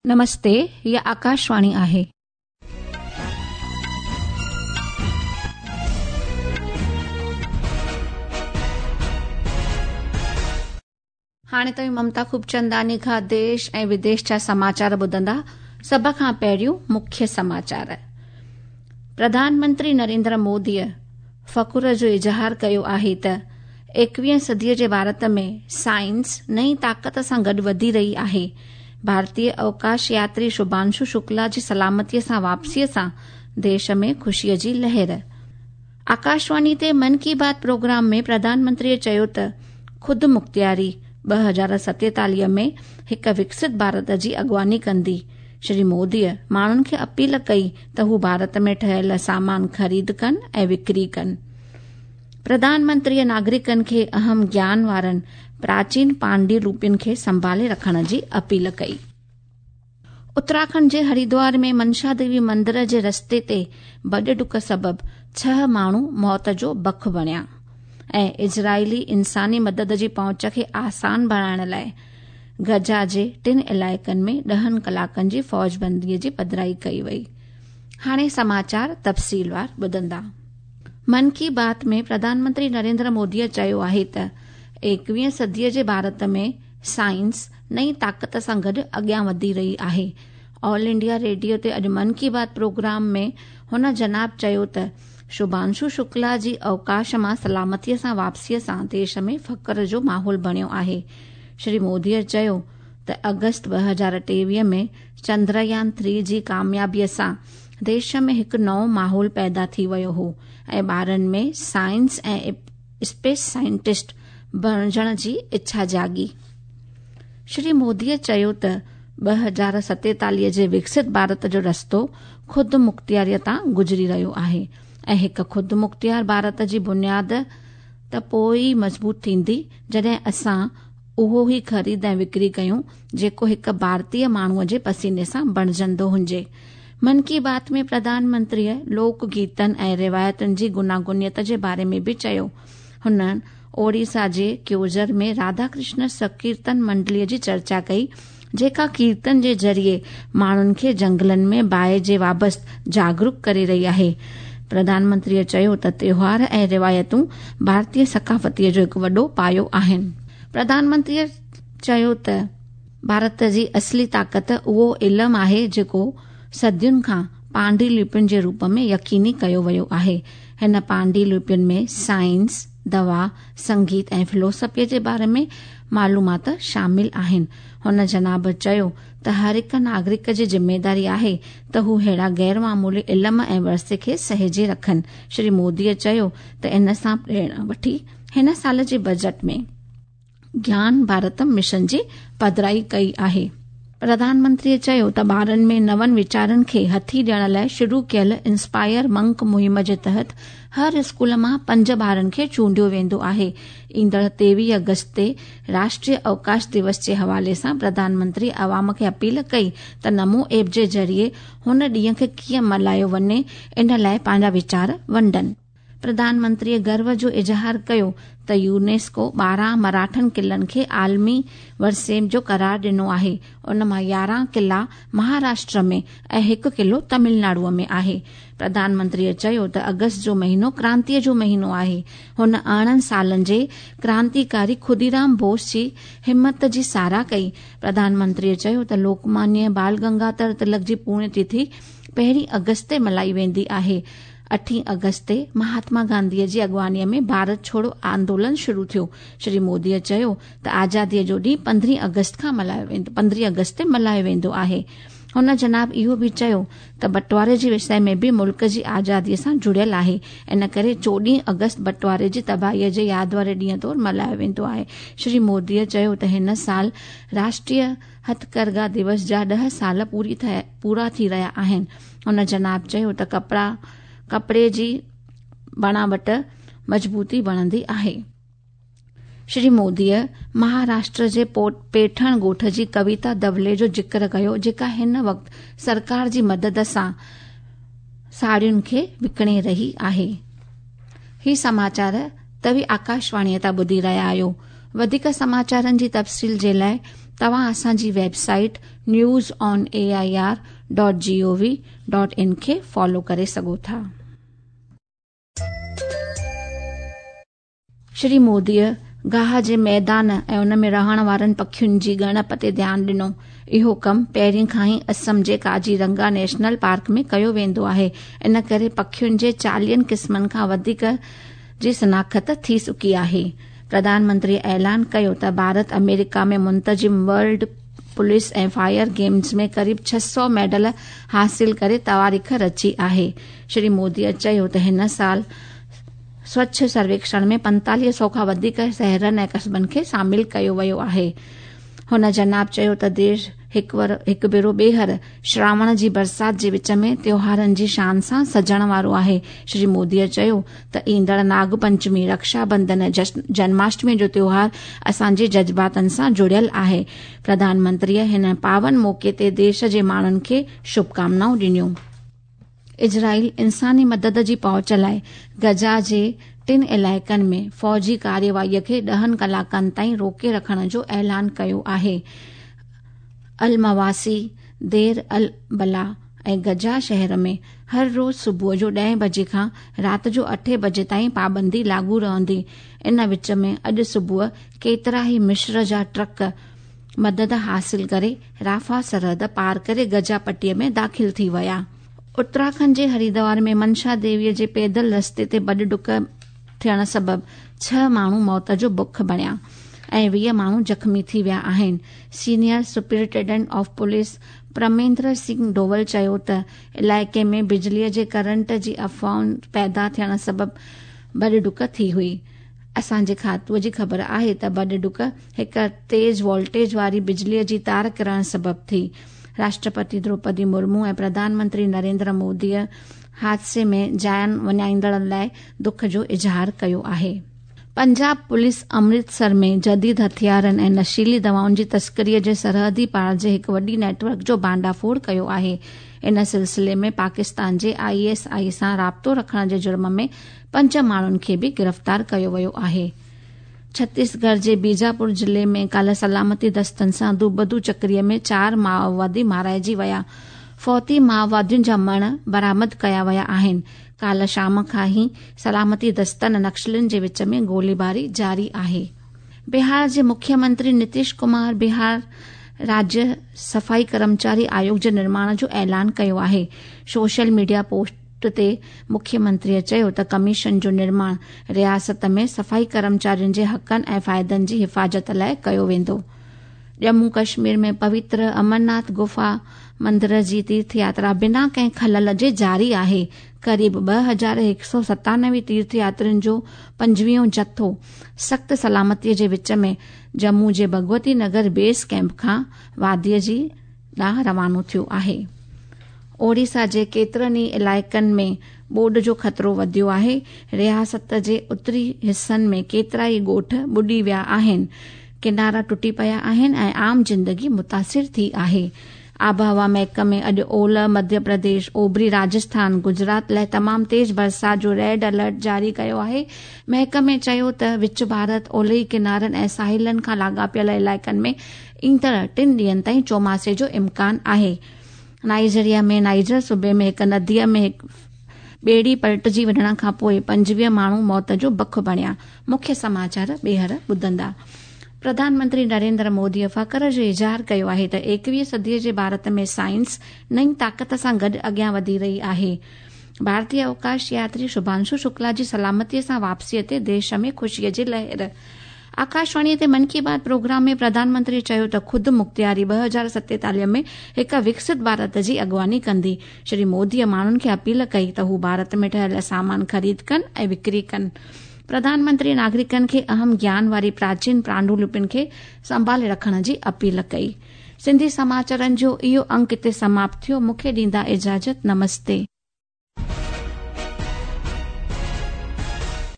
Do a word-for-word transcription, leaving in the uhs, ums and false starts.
नमस्ते, हीअ आकाशवाणी आहे. हाणे तव्हीं ममता खूबचंदानी खां देश ऐं विदेश जा समाचार ॿुधंदा. सभ खां पहिरियों मुख्य समाचार. प्रधानमंत्री नरेंद्र मोदीअ फ़ख्र जो इज़हार कयो आहे त एकवीह सदीअ जे भारत में साइंस नई ताक़त सां गॾु वधी रही आहे. भारतीय अवकाश यात्री शुभांशु शुक्ला जी सलामतीअ सां वापसीअ सां देश में ख़ुशीअ जी लहर. आकाशवाणी ते मन की बात प्रोग्राम में प्रधानमंत्रीअ चयो त ख़ुदि मुख़्तियारी ॿ हज़ार सतेतालीह में हिकु विकसित भारत जी अॻुवानी कंदी. श्री मोदीअ माण्हुनि खे अपील कई त हू भारत में ठहियल सामान ख़रीद कनि ऐं विक्री कनि. प्रधानमंत्रीअ नागरिकनि खे अहम ज्ञान वारनि प्राचीन पांडुलिपियुनि खे संभाले रखण जी अपील कई. उत्तराखंड जे हरिद्वार में मनसा देवी मंदिर जे रस्ते ते भॼ डुक सबबि छह माण्हू मौत जो बख बणिया. ऐं इज़राइली इंसानी मदद जी पहुंच खे आसान बणाइण लाइ गजा जे टिनि इलाइक़नि में ॾहनि कलाकनि जी फौजबंदीअ जी पधराई कई वई. हाणे समाचार तफ़सीलवार ॿुधंदा. मन की बात में प्रधानमंत्री नरेंद्र मोदीअ चयो आहे त एकवीह सदीअ जे भारत में साइंस नई ताक़त सां गॾु अॻियां वधी रही आहे. ऑल इंडिया रेडियो ते अॼु मन की बात प्रोग्राम में हुन जनाब चयो त शुभांशु शुक्ला जी अवकाश मां सलामतीअ सां वापसीअ सां देश में फ़ख्र जो माहौल बणियो आहे. श्री मोदीअ चयो त अगस्त ॿ हज़ार टेवीह में चंद्रयान थ्री जी कामयाबीअ सां देश में हिकु नओं माहौल पैदा थी वियो हो ऐं ॿारनि में साइंस ऐं स्पेस साइंटिस्ट बणिजण जी इच्छा जाॻी. श्री मोदीअ चयो त ॿ हज़ार सतेतालीह जे विकसित भारत जो रस्तो ख़ुदि मुख़्तियारीअ तां गुज़री रहियो आहे ऐं हिकु ख़ुदि मुख़्तियार भारत जी बुनियाद त पोइ ई मज़बूत थींदी जॾहिं असां उहो ई ख़रीद ऐं विक्री कयूं जेको हिकु भारतीय माण्हूअ जे पसीने सां बणिजंदो हुजे. मन की बात में प्रधानमंत्रीअ लोक गीतनि ऐं रिवायतुनि जी गुनागुनियत जे बारे में बि चयो. हुननि ओडिशा जे क्योझर में राधा कृष्ण संकीर्तन मंडलीअ जी चर्चा कई जेका कीर्तन जे ज़रिए माण्हुनि खे जंगलनि में बाहि जे वाबस्त जागरूक करे रही आहे. प्रधानमंत्रीअ चयो त त्योहार ऐं रिवायतूं भारतीय सकाफ़तीअ जो हिकु वॾो पायो आहिनि. प्रधानमंत्रीअ चयो त भारत जी असली ताक़त उहो इल्मु आहे जेको सदियुनि खां पांडुलिपियुनि जे रूप में यकीनी कयो वियो आहे. हिन पांडुलिपियुनि में साइंस, दवा, संगीत ऐं फिलोसफीअ जे बारे में मालूमात शामिल आहिनि. हुन जनाब चयो त हर हिकु नागरिक जी ज़िम्मेदारी आहे त हू अहिड़ा गैर मामूली इल्म ऐं विरसे खे सहेजे रखनि. श्री मोदीअ चयो त इन सां प्रेरणा वठी हिन साल जे बजट में ज्ञान भारत मिशन जी पधराई कई आहे. प्रधानमंत्रीअ चयो त ॿारनि में नवनि वीचारनि खे हथी ॾियण लाइ शुरू कयल इंस्पायर मंक मुहिम जे तहत हर स्कूल मां पंज ॿारनि खे चूंडियो वेंदो आहे. ईंदड़ टेवीह अगस्त ते राष्ट्रीय अवकाश दिवस जे हवाले सां प्रधानमंत्री अवाम खे अपील कई त नमो ऐप जे ज़रिए हुन ॾींहं खे कीअं मल्हायो वञे इन लाइ पंहिंजा वीचार वंडनि. प्रधानमंत्रीअ गर्व जो इज़हार कयो त यूनेस्को ॿारहं मराठन क़िलनि खे आलमी विरसे जो करार ॾिनो आहे. उन मां यारहं क़िला महाराष्ट्र में ऐं हिकु क़िलो तमिलनाडुअ में आहे. प्रधानमंत्रीअ चयो त अगस्त जो महीनो क्रांतीअ जो महीनो आहे. हुन अरिड़हं सालनि जे क्रांतिकारी ख़ुदीराम बोस जी हिमत जी सराह कई. प्रधानमंत्रीअ चयो त लोकमान्य बाल गंगाधर तिलक जी पुण्यतिथि पहिरीं अगस्त ते मल्हाई वेंदी आहे. अठीं अगस्त ते महात्मा गांधीअ जी अॻुवानीअ में भारत छोड़ो आंदोलन शुरू थियो. श्री मोदीअ चयो त आज़ादीअ जो ॾींहुं पंद्रहीं अगस्त खां मल्हायो वेंदो पंद्रहीं अगस्त ते मल्हायो वेंदो आहे. हुन जनाब इहो बि चयो त बंटवारे जे विषय में बि मुल्क जी आज़ादीअ सां जुड़ियल आहे. इन करे चोॾहीं अगस्त बंटवारे जी तबाहीअ जे याद वारे ॾींहं तौरु मल्हायो वेंदो आहे. श्री मोदीअ चयो त हिन साल राष्ट्रीय हथकरघा दिवस जा ॾह साल पूरी पूरा थी रहिया आहिनि. हुन जनाब चयो त कपिड़ा कपिड़े जी बणावट मज़बूती बणंदी आहे. श्री मोदीअ महाराष्ट्र जे पेठण ॻोठ जी कविता दवले जो ज़िक्र कयो जेका हिन वक़्तु सरकार जी मदद सां साड़ियुनि खे विकिणे रही आहे. ही समाचार तव्हीं आकाशवाणीअ तां ॿुधी रहिया आहियो. वधीक समाचारनि जी तफ़सील जे लाइ तव्हां असांजी website news on A I R dot G O V dot in खे फॉलो करे सघो था। श्री मोदीअ गाह जे मैदान ऐं उन में रहण वारनि पखियुनि जी ॻणप ते ध्यानु ॾिनो। इहो कमु पहिरीं खां ई असम जे काजीरंगा नेशनल पार्क में कयो वेंदो आहे। इन करे पखियुनि जे चालीहनि क़िस्मनि खां वधीक जी शनाख़्त थी चुकी आहे। प्रधानमंत्री ऐलान कयो त भारत अमेरिका में मुंतज़िम वर्ल्ड पुलिस ऐं फायर गेम्स में क़रीब छह सौ मेडल हासिल करे तवारीख़ रची आहे। श्री मोदीअ चयो त हिन साल स्वच्छ सर्वेक्षण में पंतालीह सौ खां वधीक शहरनि ऐं क़स्बनि खे शामिल कयो वियो आहे। हुन जनाब चयो त देश हिकु भेरो ॿीहर श्रावण जी बरसात जे विच में त्योहारनि जी शान सां सजण वारो आहे। श्री मोदीअ चयो त ईंदड़ नाग पंचमी, रक्षा बंधन, जन्माष्टमी जो त्योहार असांजे जज़्बातनि सां जुड़ियल आहे। प्रधानमंत्रीअ हिन पावन मौक़े ते देश जे माण्हुनि खे शुभकामनाऊं ॾिनियूं। इज़राइल इंसानी मदद जी पहुच लाइ गजा जे टिनि इलाइक़नि में फ़ौजी कार्यवाहीअ खे ॾहनि कलाकनि ताईं रोके रखण जो ऐलान कयो आहे। अल-मवासी, देर अल-बला ऐं गजा शहर में हर रोज़ सुबुह जो ॾहें बजे खां राति जो अठें बजे ताईं पाबंदी लागू रहंदी। इन विच में अॼु सुबुह केतिरा ई मिस्र जा ट्रक मदद हासिल करे राफ़ा सरहद पार करे गजा पटीअ में दाख़िल थी विया। उत्तराखंड जे हरिद्वार में मनशा देवीअ जे पैदल रस्ते ते बॾ ॾुक थियण सबबु छह माण्हू मौत जो बुख बणिया ऐं वीह माण्हू ज़ख़्मी थी विया आहिनि। Senior superintendent of police Pramendra Singh Doval चयो त इलाइक़े में बिजलीअ जे करंट जी अफ़वाहुनि पैदा थियण सबबु बॾ ॾुक थी हुई। असांजे खातूअ जी ख़बर आहे त बॾ ॾुक हिकु तेज़ वोल्टेज वारी बिजलीअ जी तार किरण सबबु थी। राष्ट्रपति द्रौपदी मुर्मू ऐं प्रधानमंत्री नरेंद्र मोदीअ हादसे में जान वञाईंदड़नि लाइ दुख जो इज़हार कयो आहे। पंजाब पुलिस अमृतसर में जदीद हथियारनि ऐं नशीली दवाउनि जी तस्करीअ जे सरहदी पार जे हिकु वॾी नेटवर्क जो भांडाफोड़ कयो आहे। इन सिलसिले में पाकिस्तान जे I S I सां राब्तो रखण जे जुर्म में पंज माण्हुनि खे बि गिरफ़्तार कयो वियो आहे। छत्तीसगढ़ जे बीजापुर ज़िले में काल्ह सलामती दस्तनि सां दूबदू चकरीअ में चारि माओवादी माराइजी विया। फौती माओवादियुनि जा मण बरामद कया विया आहिनि। काल्ह शाम खां ई सलामती दस्तनि नक्सलियुनि जे विच में गोलीबारी जारी आहे। बिहार जे मुख्यमंत्री नीतीश कुमार बिहार राज्य सफ़ाई कर्मचारी आयोग जे निर्माण जो ऐलान कयो आहे। सोशल मीडिया पोस्ट ते मुख्यमंत्रीअ चयो त कमीशन जो निर्माण रियासत में सफ़ाई कर्मचारियुनि जे हक़नि ऐं फ़ाइदनि जी हिफ़ाज़त लाइ कयो वेंदो। जम्मू कश्मीर में पवित्र अमरनाथ गुफा मंदिर जी तीर्थ यात्रा बिना कंहिं ख़लल जे जारी आहे। क़रीब ॿ हज़ार हिकु सौ सतानवे तीर्थ यात्रियुनि जो पंजवीहों जत्थो सख़्त सलामतीअ जे विच में जम्मू जे भगवती नगर बेस कैंप खां वादीअ जी ॾांहुं रवानो थियो आहे। ओडिशा जे केतिरनि ई इलाइक़नि में ॿोॾ जो ख़तरो वधियो आहे। रियासत जे उत्तरी हिसनि में केतिरा ई ॻोठ ॿुॾी विया आहिनि, किनारा टुटी पिया आहिनि ऐं आम ज़िंदगी मुतासिर थी आहे। आबहवा महकमे अॼु ओलह मध्य प्रदेश, ओभरी राजस्थान, गुजरात लाइ तमामु तेज़ बरसात जो रेड अलर्ट जारी कयो आहे। महकमे चयो त विच भारत, ओलही किनारनि ऐं साहिलनि खां लाॻापियल इलाइक़नि में ईंदड़ टिनि ॾींहंनि ताईं चौमासे जो इम्कान आहे। नाइजीरिया में नाइजर सूबे में हिकु नदीअ में ॿेड़ी पलटिजी वञण खां पोइ पंजवीह माण्हू मौत जो बख बणिया। मुख्य समाचार ॿीहर ॿुधंदा। प्रधानमंत्री नरेंद्र मोदीअ फ़ख़्र जो इज़हार कयो आहे त एकवीह सदीअ जे भारत में साइंस नई ताक़त सां गॾु अॻियां वधी रही आहे। भारतीय अवकाश यात्री शुभांशु शुक्ला जी सलामतीअ सां वापसीअ ते देश में ख़ुशीअ जी लहर। आकाशवाणीअ ते मन की बात प्रोग्राम में प्रधानमंत्री चयो त ख़ुदि मुख़्तियारी ॿ हज़ार सतेतालीह में हिकु विकसित भारत जी अॻुवानी कंदी। श्री मोदीअ माण्हुनि खे अपील कई त हू भारत में ठहियल सामान ख़रीद कनि ऐं विक्री कनि। प्रधानमंत्री नागरिकनि खे अहम ज्ञान वारी प्राचीन पांडुलिपियुनि खे संभाले रखण जी अपील कई। सिंधी समाचारनि जो इहो अंक हिते समाप्त थियो। मूंखे ॾींदा इजाज़त। नमस्ते।